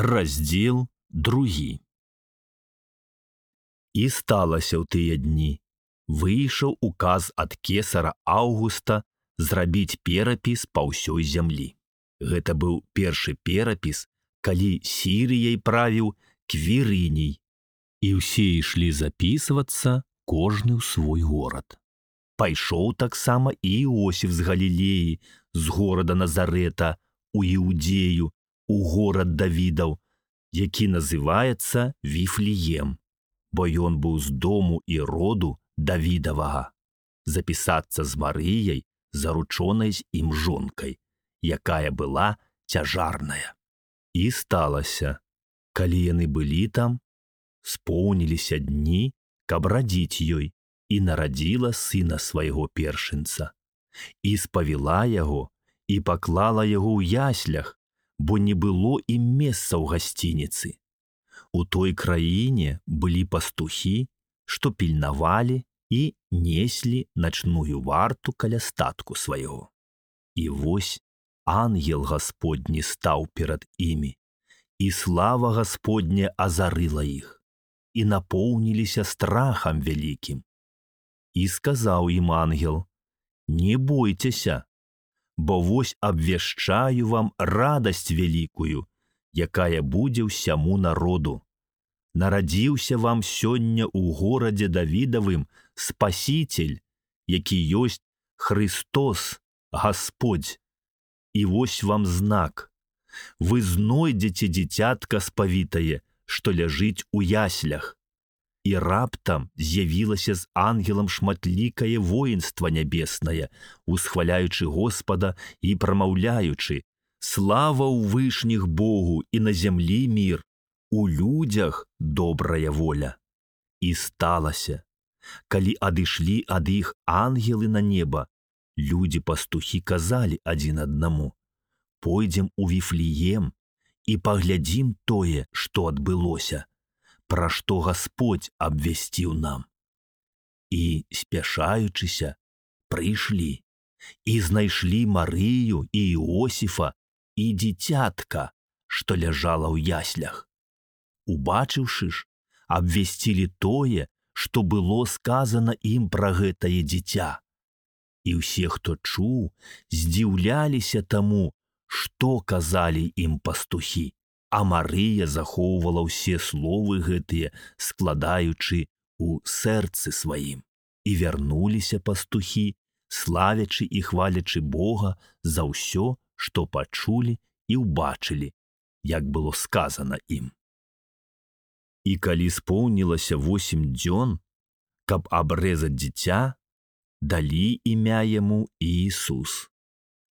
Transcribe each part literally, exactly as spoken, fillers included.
Раздзел другі. І сталася ў тыя дні. Выйшаў указ ад кесара Аўгуста зрабіць перапіс па ўсёй зямлі. Гэта быў першы перапіс, калі Сірыяй правіў Квірыній. І ўсе ішлі запісвацца, кожны ў свой горад. Пайшоў таксама і Іосіф з Галілеі, з горада Назарэта, у Іудзею, у горад Давідаў, які называецца Віфлеем, бо ён быў з дому і роду Давідавага, запісацца з Марыяй, заручонай з ім жонкай, якая была цяжарная. І сталася, калі яны былі там, споўніліся дні, каб радзіць ёй, і нарадзіла сына свайго першынца. І спавіла яго, і паклала яго ў яслях, бо не было ім месца ў гасцініцы. У той краіне былі пастухі, што пільнавалі і неслі начную варту каля статку свайго. І вось ангел Гасподні стаў перад імі, і слава Гасподня азарыла іх, і напоўніліся страхам вялікім. І сказаў ім ангел: «Не бойцеся, бо вось абвяшчаю вам радасць вялікую, якая будзе ўсяму народу. Нарадзіўся вам сёння ў горадзе Давідавым Спасіцель, які ёсць Христос, Гасподзь. І вось вам знак. Вы знойдзеце дзіцятка спавітае, што ляжыць у яслях». І раптам з'явілася з ангелам шматлікае воінства нябеснае, усхваляючы Господа і прамаўляючы: «Слава ў вышніх Богу і на зямлі мір, у людзях добрая воля». І сталася, калі адышлі ад іх ангелы на неба, людзі-пастухі казалі адзін аднаму: «Пойдзем у Віфлеем і паглядзім тое, што адбылося, пра што Гасподзь абвясціў нам». І, спяшаючыся, прыйшлі і знайшлі Марыю і Іосіфа і дзіцятка, што ляжала ў яслях. Убачыўшы ж, абвясцілі тое, што было сказана ім пра гэтае дзіця. І ўсе, хто чуў, здзіўляліся таму, што казалі ім пастухі. А Марыя захоўвала ўсе словы гэтыя, складаючы ў сэрцы сваім. І вярнуліся пастухі, славячы і хвалячы Бога за ўсё, што пачулі і ўбачылі, як было сказана ім. І калі споўнілася восем дзён, каб абрэзаць дзіця, далі імя яму Іісус,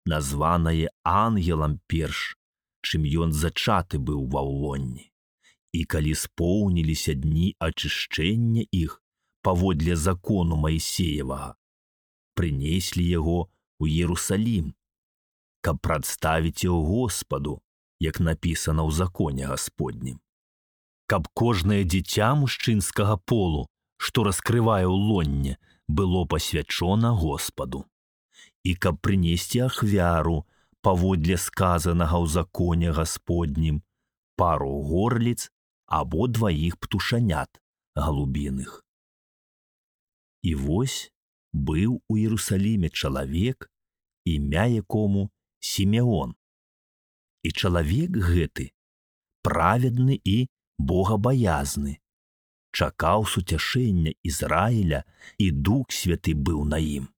названае ангелам перш, чым ён зачаты быў ва ўлонні. І калі споўніліся дні ачышчэння іх паводле закону Маісеевага, прынеслі яго ў Іерусалім, каб прадставіць яго Господу, як напісана ў законе Гасподнім. Каб кожнае дзіця мужчынскага полу, што раскрывае ўлонне, было пасвячона Господу. І каб прынесці ахвяру паводле сказанага ў законе Гасподнім, пару горліц або дваіх птушанят галубіных. І вось быў у Іерусаліме чалавек, імя якому Сімеон. І чалавек гэты праведны і богабаязны, чакаў суцяшэння Ізраіля, і Дух Святы быў на ім.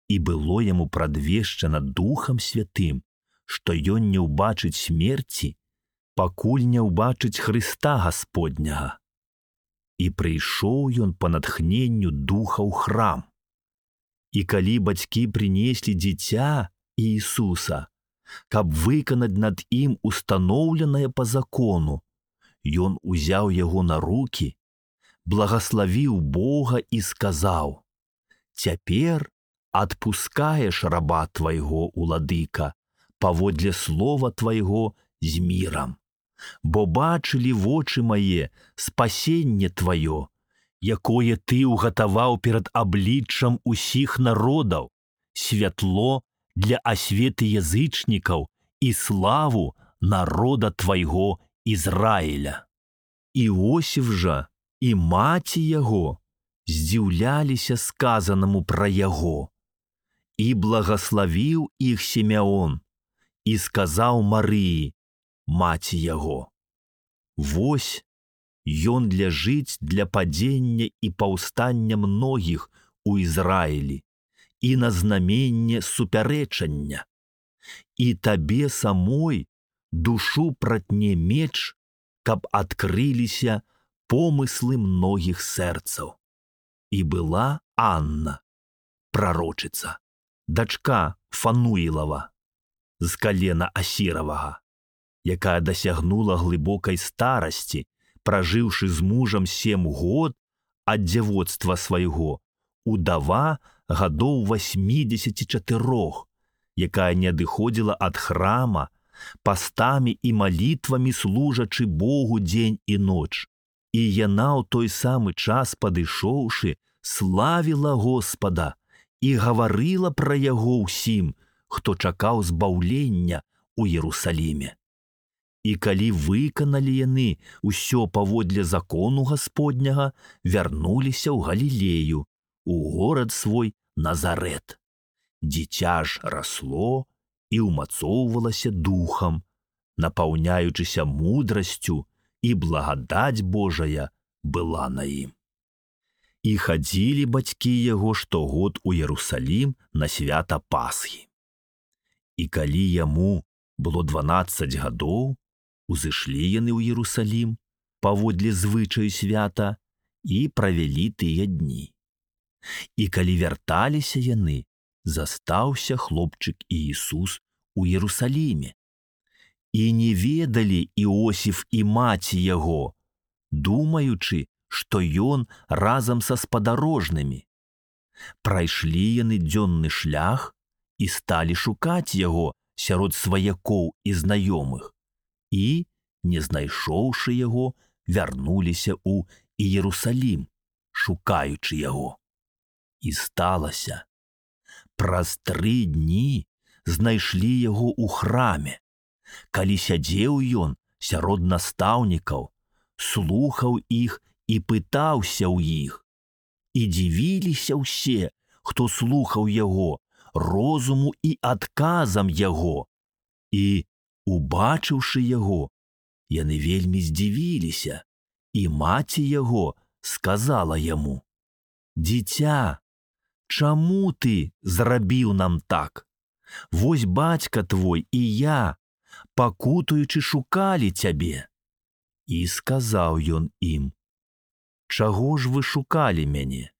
І было яму прадвешчана Духам Святым, што ён не ўбачыць смерці, пакуль не ўбачыць Хрыста Гасподняга. І прыйшоў ён па натхненню Духа ў храм. І калі бацькі прынеслі дзіця Іісуса, каб выканаць над ім устаноўленае па закону, ён узяў яго на рукі, благаславіў Бога і сказаў: «Цяпер адпускаеш раба твайго, уладыка, паводле слова твайго з мірам, бо бачылі вочы мае спасенне тваё, якое ты ўгатаваў перад абліччам усіх народаў, святло для асветы язычнікаў і славу народа твайго Ізраіля. Іосіф жа і маці яго здзіўляліся сказанаму пра яго. І благаславіў іх Сімеон і сказаў Марыі, маці яго: «Вось, ён ляжыць для падзення і паўстання многіх у Ізраілі і на знаменне супярэчання. І табе самой душу пратне меч, каб адкрыліся помыслы многіх сэрцаў». І была Анна, прарочыца, дачка Фануілава, з калена Асіравага, якая дасягнула глыбокай старасці, пражыўшы з мужам сем год ад дзявоцтва свайго, удава гадоў васьмідзесяці чатырох, якая не адыходзіла ад храма, пастамі і малітвамі служачы Богу дзень і ноч. І яна ў той самы час падышоўшы, славіла Господа і гаварыла пра яго ўсім, хто чакаў збаўлення ў Ерусаліме. І калі выканалі яны ўсё паводле закону Гасподняга, вярнуліся ў Галілею, у горад свой Назарэт. Дзіця ж расло і ўмацоўвалася духам, напаўняючыся мудрасцю, і благадаць Божая была на ім. І хадзілі бацькі яго штогод у Ерусалім на свята Пасхі. І калі яму было дванаццаць гадоў, узышлі яны ў Ерусалім паводле звычаю свята і правялі тыя дні. І калі вярталіся яны, застаўся хлопчык Іісус у Ерусаліме. І не ведалі Іосіф і маці яго, думаючы, што ён разам са спадарожнымі. Прайшлі яны дзённы шлях і сталі шукаць яго сярод сваякоў і знаёмых. І, не знайшоўшы яго, вярнуліся ў Іерусалім, шукаючы яго. І сталася, праз тры дні знайшлі яго ў храме, калі сядзеў ён сярод настаўнікаў, слухаў іх і пытаўся ў іх. І дзівіліся ўсе, хто слухаў яго, розуму і адказам яго. І, убачыўшы яго, яны вельмі здзівіліся, і маці яго сказала яму: «Дзіця, чаму ты зрабіў нам так? Вось бацька твой і я, пакутуючы, шукалі цябе». І сказаў ён ім: «Чаго ж вы шукалі мяне?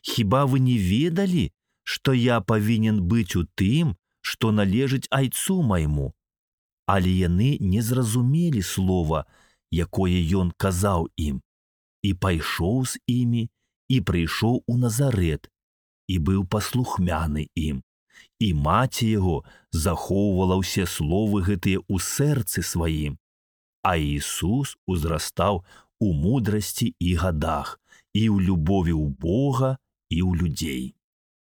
Хіба вы не ведалі, што я павінен быць у тым, што належыць айцу майму?» Але яны не зразумелі слова, якое ён казаў ім, і пайшоў з імі, і прыйшоў у Назарэт, і быў паслухмяны ім. І маці яго захоўвала ўсе словы гэтыя ў сэрцы сваім. А Іісус узрастаў у мудрасці і гадах, і ў любові ў Бога, і ў людзей.